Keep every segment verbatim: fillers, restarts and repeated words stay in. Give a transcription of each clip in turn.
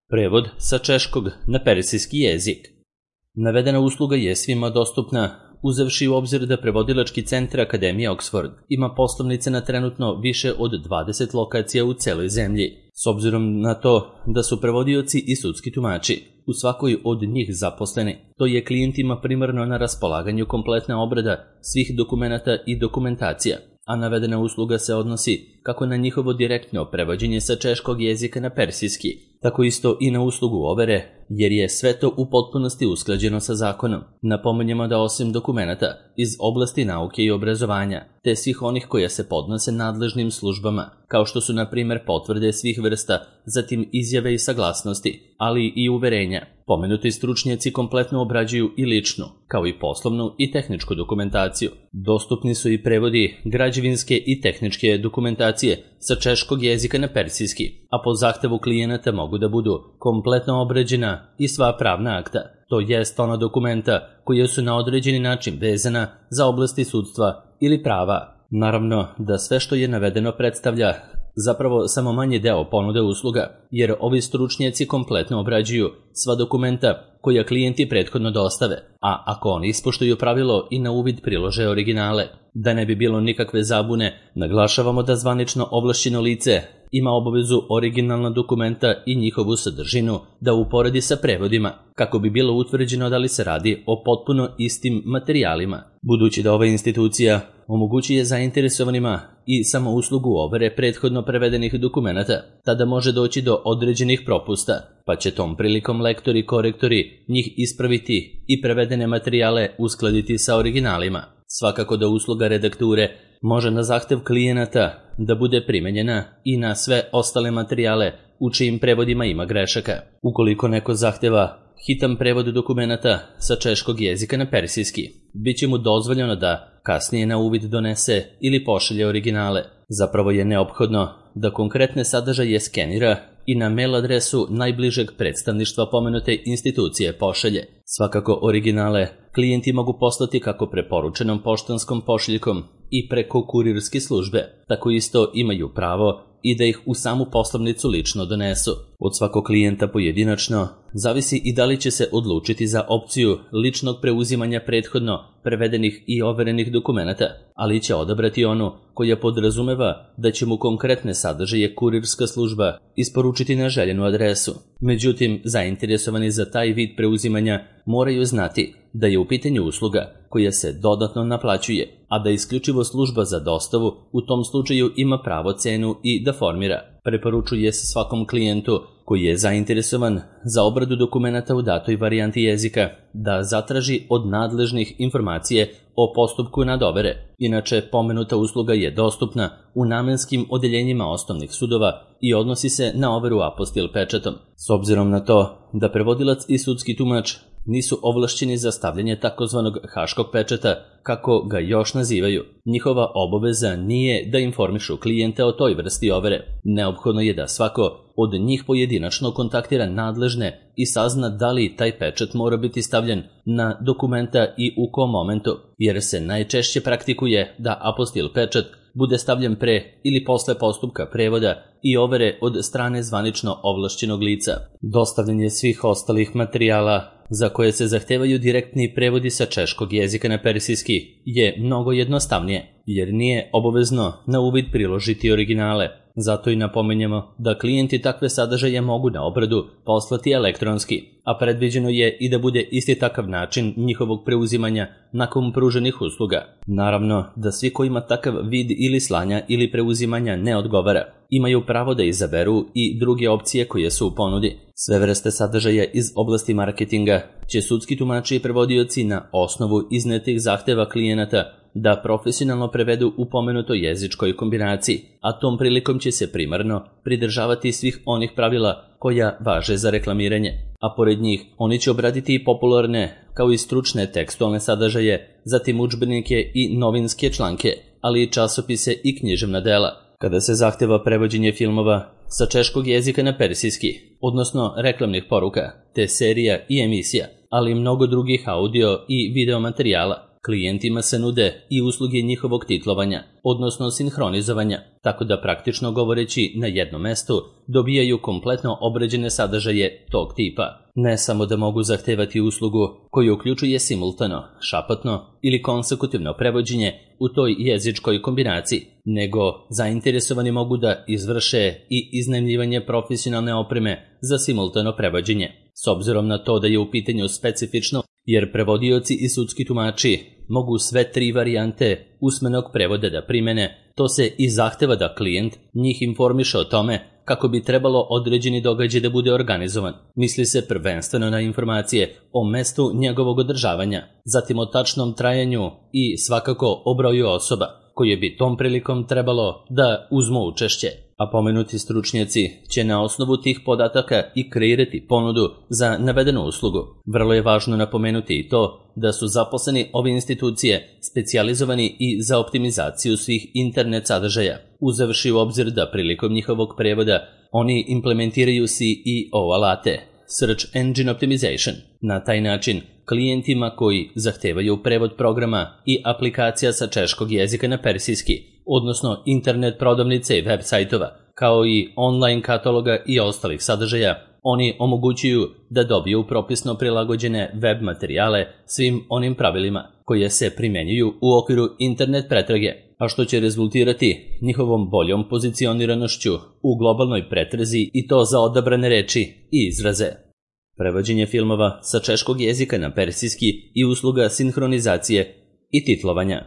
Prevod sa češkog na persijski jezik. Navedena usluga je svima dostupna, uzevši u obzir da prevodilački centar Akademije Oxford ima poslovnice na trenutno više od dvadeset lokacija u celoj zemlji. S obzirom na to da su prevodioci i sudski tumači u svakoj od njih zaposleni, to je klijentima primarno na raspolaganju kompletna obrada svih dokumenata i dokumentacija, a navedena usluga se odnosi kako na njihovo direktno prevođenje sa češkog jezika na persijski, tako isto i na uslugu overe, jer je sve to u potpunosti usklađeno sa zakonom. Napominjemo da osim dokumenata iz oblasti nauke i obrazovanja, te svih onih koja se podnose nadležnim službama, kao što su na primjer potvrde svih vrsta, zatim izjave i saglasnosti, ali i uverenja, pomenuti stručnjaci kompletno obrađuju i ličnu, kao i poslovnu i tehničku dokumentaciju. Dostupni su i prevodi građevinske i tehničke dokumentacije sa češkog jezika na persijski, a po zahtevu klijenata mogu da budu kompletno obrađena i sva pravna akta, to jest ona dokumenta koja su na određeni način vezana za oblasti sudstva ili prava. Naravno da sve što je navedeno predstavlja zapravo samo manji deo ponude usluga, jer ovi stručnjaci kompletno obrađuju sva dokumenta koja klijenti prethodno dostave, a ako oni ispoštuju pravilo i na uvid prilože originale. Da ne bi bilo nikakve zabune, naglašavamo da zvanično ovlašćeno lice ima obavezu originalna dokumenta i njihovu sadržinu da uporedi sa prevodima, kako bi bilo utvrđeno da li se radi o potpuno istim materijalima. Budući da ova institucija omogućuje zainteresovanima i samo uslugu overe prethodno prevedenih dokumenata, tada može doći do određenih propusta, pa će tom prilikom lektori i korektori njih ispraviti i prevedene materijale uskladiti sa originalima. Svakako da usluga redakture može na zahtev klijenata da bude primenjena i na sve ostale materijale u čijim prevodima ima grešaka. Ukoliko neko zahteva hitan prevod dokumenata sa češkog jezika na persijski, bit će mu dozvoljeno da kasnije na uvid donese ili pošalje originale. Zapravo je neophodno da konkretne sadržaje skenira i na mail adresu najbližeg predstavništva pomenute institucije pošalje. Svakako originale klijenti mogu poslati kako preporučenom poštanskom pošiljkom i preko kurirske službe, tako isto imaju pravo i da ih u samu poslovnicu lično donesu. Od svakog klijenta pojedinačno zavisi i da li će se odlučiti za opciju ličnog preuzimanja prethodno prevedenih i overenih dokumenata, ali će odabrati onu koja podrazumeva da će mu konkretne sadržaje kurirska služba isporučiti na željenu adresu. Međutim, zainteresovani za taj vid preuzimanja moraju znati da je u pitanju usluga koja se dodatno naplaćuje, a da isključivo služba za dostavu u tom slučaju ima pravo cenu i da formira. Preporučuje se svakom klijentu koji je zainteresovan za obradu dokumenata u datoj varijanti jezika da zatraži od nadležnih informacije o postupku nadovere. Inače, pomenuta usluga je dostupna u namenskim odeljenjima osnovnih sudova i odnosi se na overu apostil pečatom. S obzirom na to da prevodilac i sudski tumač nisu ovlašćeni za stavljanje takozvanog haškog pečata, kako ga još nazivaju, njihova obaveza nije da informišu klijente o toj vrsti overe. Neophodno je da svako od njih pojedinačno kontaktira nadležne i sazna da li taj pečat mora biti stavljen na dokumenta i u kom momentu, jer se najčešće praktikuje da apostil pečat bude stavljen pre ili posle postupka prevoda i overe od strane zvanično ovlašćenog lica. Dostavljanje svih ostalih materijala za koje se zahtevaju direktni prevodi sa češkog jezika na persijski je mnogo jednostavnije, jer nije obavezno na uvid priložiti originale. Zato i napominjemo da klijenti takve sadržaje mogu na obradu poslati elektronski, a predviđeno je i da bude isti takav način njihovog preuzimanja nakon pruženih usluga. Naravno da svi kojima takav vid ili slanja ili preuzimanja ne odgovara, imaju pravo da izaberu i druge opcije koje su u ponudi. Sve vrste sadržaja iz oblasti marketinga će sudski tumači i prevodioci na osnovu iznetih zahteva klijenata da profesionalno prevedu u pomenutoj jezičkoj kombinaciji, a tom prilikom će se primarno pridržavati svih onih pravila koja važe za reklamiranje, a pored njih oni će obraditi i popularne kao i stručne tekstualne sadržaje, zatim udžbenike i novinske članke, ali i časopise i književna dela. Kada se zahteva prevođenje filmova sa češkog jezika na persijski, odnosno reklamnih poruka, te serija i emisija, ali i mnogo drugih audio i video materijala, Klijentima se nude i usluge njihovog titlovanja, odnosno sinhronizovanja, tako da praktično govoreći na jednom mestu dobijaju kompletno obrađene sadržaje tog tipa. Ne samo da mogu zahtevati uslugu koju uključuje simultano, šapatno ili konsekutivno prevođenje u toj jezičkoj kombinaciji, nego zainteresovani mogu da izvrše i iznajmljivanje profesionalne opreme za simultano prevođenje. S obzirom na to da je u pitanju specifično, jer prevodioci i sudski tumači mogu sve tri varijante usmenog prevoda da primene, to se i zahteva da klijent njih informiše o tome kako bi trebalo određeni događaj da bude organizovan. Misli se prvenstveno na informacije o mestu njegovog održavanja, zatim o tačnom trajanju i svakako o broju osoba koje bi tom prilikom trebalo da uzmu učešće. A pomenuti stručnjaci će na osnovu tih podataka i kreirati ponudu za navedenu uslugu. Vrlo je važno napomenuti i to da su zaposleni ove institucije specijalizovani i za optimizaciju svih internet sadržaja, uzevši u obzir da prilikom njihovog prevoda oni implementiraju C E O alate, Search Engine Optimization. Na taj način, klijentima koji zahtevaju prevod programa i aplikacija sa češkog jezika na persijski, odnosno internet prodavnice i web sajtova, kao i online kataloga i ostalih sadržaja, oni omogućuju da dobiju propisno prilagođene web materijale svim onim pravilima koje se primenjuju u okviru internet pretrage, a što će rezultirati njihovom boljom pozicioniranošću u globalnoj pretrazi i to za odabrane reči i izraze. Prevođenje filmova sa češkog jezika na persijski i usluga sinhronizacije i titlovanja.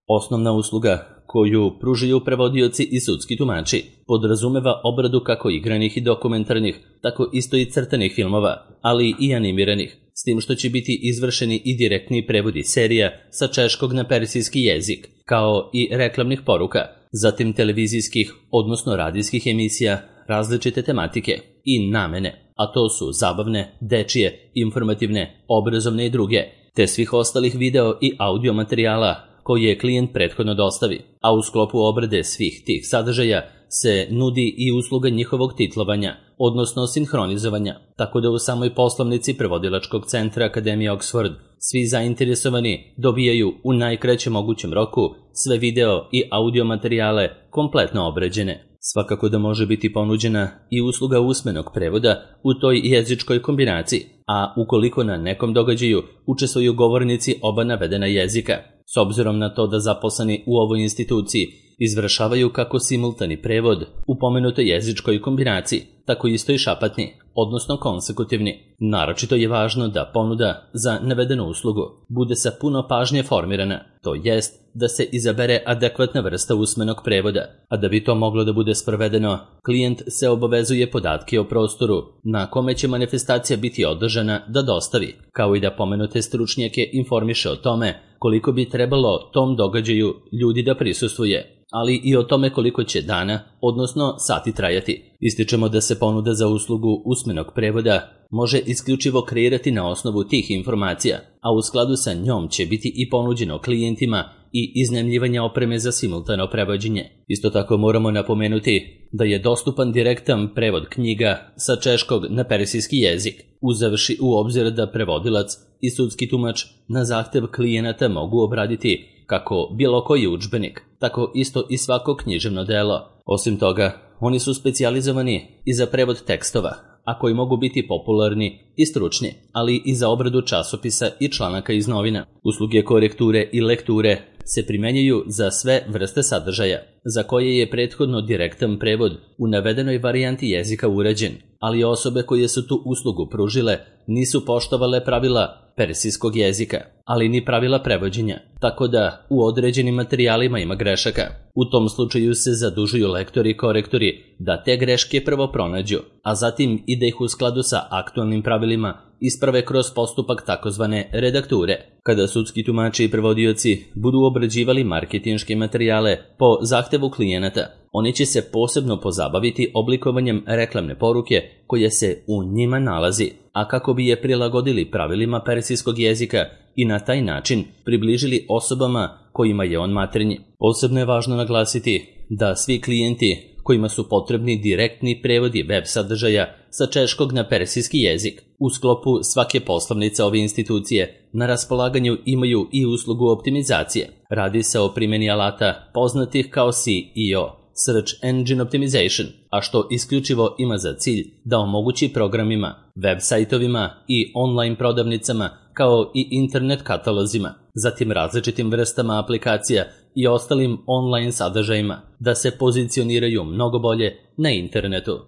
Osnovna usluga koju pružaju prevodioci i sudski tumači podrazumeva obradu kako igranih i dokumentarnih, tako isto i crtanih filmova, ali i animiranih, s tim što će biti izvršeni i direktni prevodi serija sa češkog na persijski jezik, kao i reklamnih poruka, zatim televizijskih, odnosno radijskih emisija različite tematike i namene, a to su zabavne, dečije, informativne, obrazovne i druge, te svih ostalih video i audio materijala koje klijent prethodno dostavi, a u sklopu obrade svih tih sadržaja se nudi i usluga njihovog titlovanja, odnosno sinhronizovanja, tako da u samoj poslovnici prevodilačkog centra Akademije Oxford svi zainteresovani dobijaju u najkraćem mogućem roku sve video i audio materijale kompletno obrađene. Svakako da može biti ponuđena i usluga usmenog prevoda u toj jezičkoj kombinaciji, a ukoliko na nekom događaju učestvuju govornici oba navedena jezika, s obzirom na to da zaposleni u ovoj instituciji izvršavaju kako simultani prevod u pomenutoj jezičkoj kombinaciji, tako isto i šapatni, odnosno konsekutivni. Naročito je važno da ponuda za navedenu uslugu bude sa puno pažnje formirana, to jest da se izabere adekvatna vrsta usmenog prevoda, a da bi to moglo da bude sprovedeno, klijent se obavezuje podatke o prostoru na kome će manifestacija biti održana da dostavi, kao i da pomenute stručnjake informiše o tome koliko bi trebalo tom događaju ljudi da prisustvuje, ali i o tome koliko će dana, odnosno sati trajati. Ističemo da se ponuda za uslugu usmenog prevoda može isključivo kreirati na osnovu tih informacija, a u skladu sa njom će biti i ponuđeno klijentima i iznajmljivanje opreme za simultano prevođenje. Isto tako moramo napomenuti da je dostupan direktan prevod knjiga sa češkog na persijski jezik, uzevši u obzir da prevodilac i sudski tumač na zahtev klijenata mogu obraditi kako bilo koji udžbenik, tako isto i svako književno delo. Osim toga, oni su specijalizovani i za prevod tekstova, a koji mogu biti popularni i stručni, ali i za obradu časopisa i članaka iz novina. Usluge korekture i lekture se primenjuju za sve vrste sadržaja, za koje je prethodno direktan prevod u navedenoj varijanti jezika urađen, ali osobe koje su tu uslugu pružile nisu poštovale pravila persijskog jezika, ali ni pravila prevođenja, tako da u određenim materijalima ima grešaka. U tom slučaju se zadužuju lektori i korektori da te greške prvo pronađu, a zatim i da ih u skladu sa aktualnim pravilima isprave kroz postupak takozvane redakture. Kada sudski tumači i prevodioci budu obrađivali marketinške materijale po zahtevu klijenata, oni će se posebno pozabaviti oblikovanjem reklamne poruke koja se u njima nalazi, a kako bi je prilagodili pravilima persijskog jezika i na taj način približili osobama kojima je on maternji. Posebno je važno naglasiti da svi klijenti kojima su potrebni direktni prevodi web sadržaja sa češkog na persijski jezik. U sklopu svake poslovnice ove institucije na raspolaganju imaju i uslugu optimizacije. Radi se o primjeni alata poznatih kao S E O, Search Engine Optimization, a što isključivo ima za cilj da omogući programima, web sajtovima i online prodavnicama kao i internet katalozima, zatim različitim vrstama aplikacija i ostalim online sadržajima da se pozicioniraju mnogo bolje na internetu.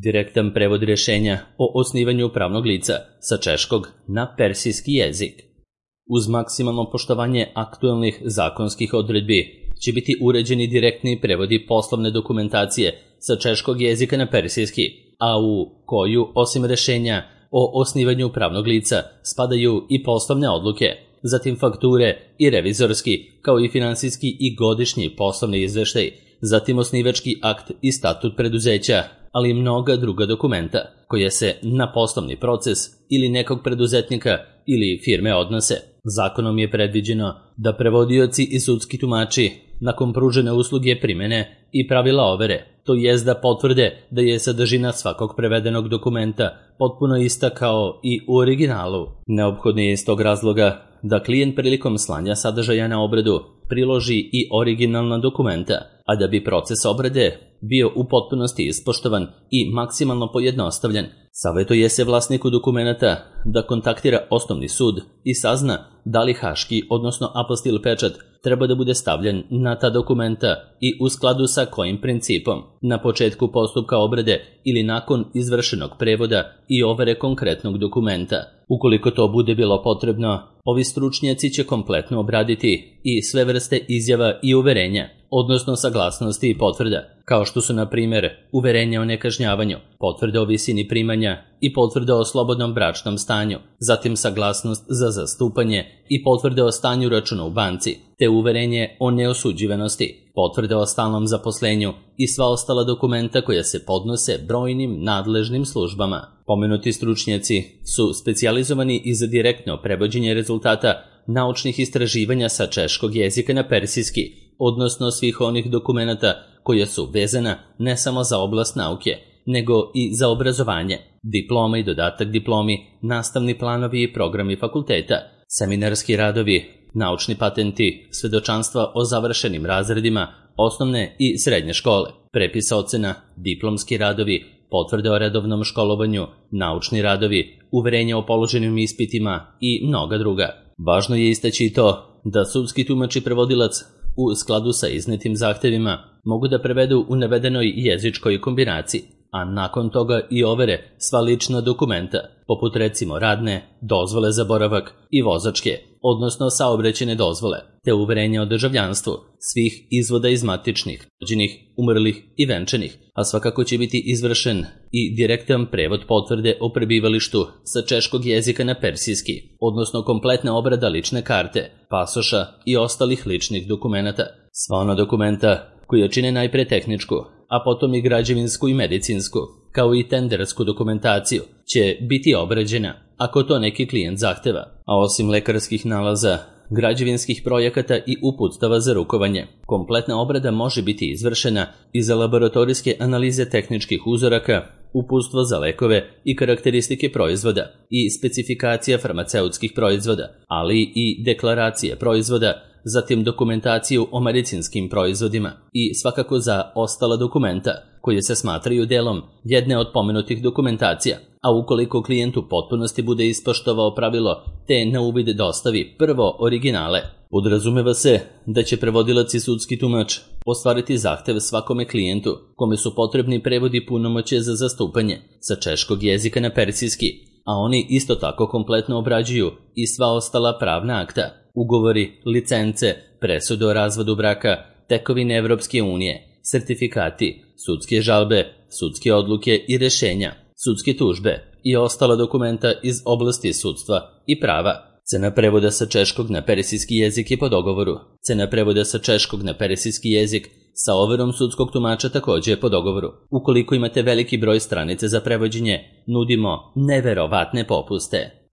Direktan prevod rješenja o osnivanju pravnog lica sa češkog na persijski jezik. Uz maksimalno poštovanje aktuelnih zakonskih odredbi će biti uređeni direktni prevodi poslovne dokumentacije sa češkog jezika na persijski, a u koju, osim rješenja o osnivanju pravnog lica, spadaju i poslovne odluke, zatim fakture i revizorski, kao i finansijski i godišnji poslovni izveštaj, zatim osnivački akt i statut preduzeća, ali i mnoga druga dokumenta koje se na poslovni proces ili nekog preduzetnika ili firme odnose. Zakonom je predviđeno da prevodioci i sudski tumači nakon pružene usluge primene i pravila overe, to jest da potvrde da je sadržina svakog prevedenog dokumenta potpuno ista kao i u originalu. Neophodno je iz tog razloga da klijent prilikom slanja sadržaja na obradu priloži i originalna dokumenta, a da bi proces obrade bio u potpunosti ispoštovan i maksimalno pojednostavljen, savjetuje se vlasniku dokumenta da kontaktira osnovni sud i sazna da li haški, odnosno apostil pečat, treba da bude stavljen na ta dokumenta i u skladu sa kojim principom, na početku postupka obrade ili nakon izvršenog prevoda i overe konkretnog dokumenta. Ukoliko to bude bilo potrebno, ovi stručnjaci će kompletno obraditi i sve vrste izjava i uverenja, odnosno saglasnosti i potvrda, kao što su, na primjer, uverenja o nekažnjavanju, potvrde o visini primanja i potvrde o slobodnom bračnom stanju, zatim saglasnost za zastupanje i potvrde o stanju računa u banci, te uverenje o neosuđivanosti, potvrde o stalnom zaposlenju i sva ostala dokumenta koja se podnose brojnim nadležnim službama. Pomenuti stručnjaci su specijalizovani i za direktno prevođenje rezultata naučnih istraživanja sa češkog jezika na persijski, odnosno svih onih dokumenata koja su vezana ne samo za oblast nauke, nego i za obrazovanje, diploma i dodatak diplomi, nastavni planovi i programi fakulteta, seminarski radovi, naučni patenti, svedočanstva o završenim razredima, osnovne i srednje škole, prepis ocena, diplomski radovi, potvrde o redovnom školovanju, naučni radovi, uverenja o položenim ispitima i mnoga druga. Važno je istaći i to da sudski tumač i prevodilac u skladu sa iznetim zahtevima mogu da prevedu u navedenoj jezičkoj kombinaciji, a nakon toga i overe sva lična dokumenta, poput recimo radne, dozvole za boravak i vozačke, odnosno saobraćajne dozvole, te uverenja o državljanstvu, svih izvoda iz matičnih, rođenih, umrlih i venčanih, a svakako će biti izvršen i direktan prevod potvrde o prebivalištu sa češkog jezika na persijski, odnosno kompletna obrada lične karte, pasoša i ostalih ličnih dokumenata. Sva ona dokumenta koja čine najpre tehničku, a potom i građevinsku i medicinsku, kao i tendersku dokumentaciju, će biti obrađena ako to neki klijent zahteva, a osim lekarskih nalaza, građevinskih projekata i uputstava za rukovanje, kompletna obrada može biti izvršena i za laboratorijske analize tehničkih uzoraka, uputstvo za lekove i karakteristike proizvoda i specifikacija farmaceutskih proizvoda, ali i deklaracije proizvoda, zatim dokumentaciju o medicinskim proizvodima i svakako za ostala dokumenta koje se smatraju delom jedne od pomenutih dokumentacija, a ukoliko klijent u potpunosti bude ispoštovao pravilo te na uvid dostavi prvo originale, podrazumeva se da će prevodilac i sudski tumač ostvariti zahtev svakome klijentu kome su potrebni prevodi punomoćja za zastupanje sa češkog jezika na persijski, a oni isto tako kompletno obrađuju i sva ostala pravna akta, ugovori, licence, presude o razvodu braka, tekovine Evropske unije, sertifikati, sudske žalbe, sudske odluke i rješenja, sudske tužbe i ostala dokumenta iz oblasti sudstva i prava. Cena prevoda sa češkog na persijski jezik je po dogovoru. Cena prevoda sa češkog na persijski jezik sa overom sudskog tumača također je po dogovoru. Ukoliko imate veliki broj stranice za prevođenje, nudimo neverovatne popuste.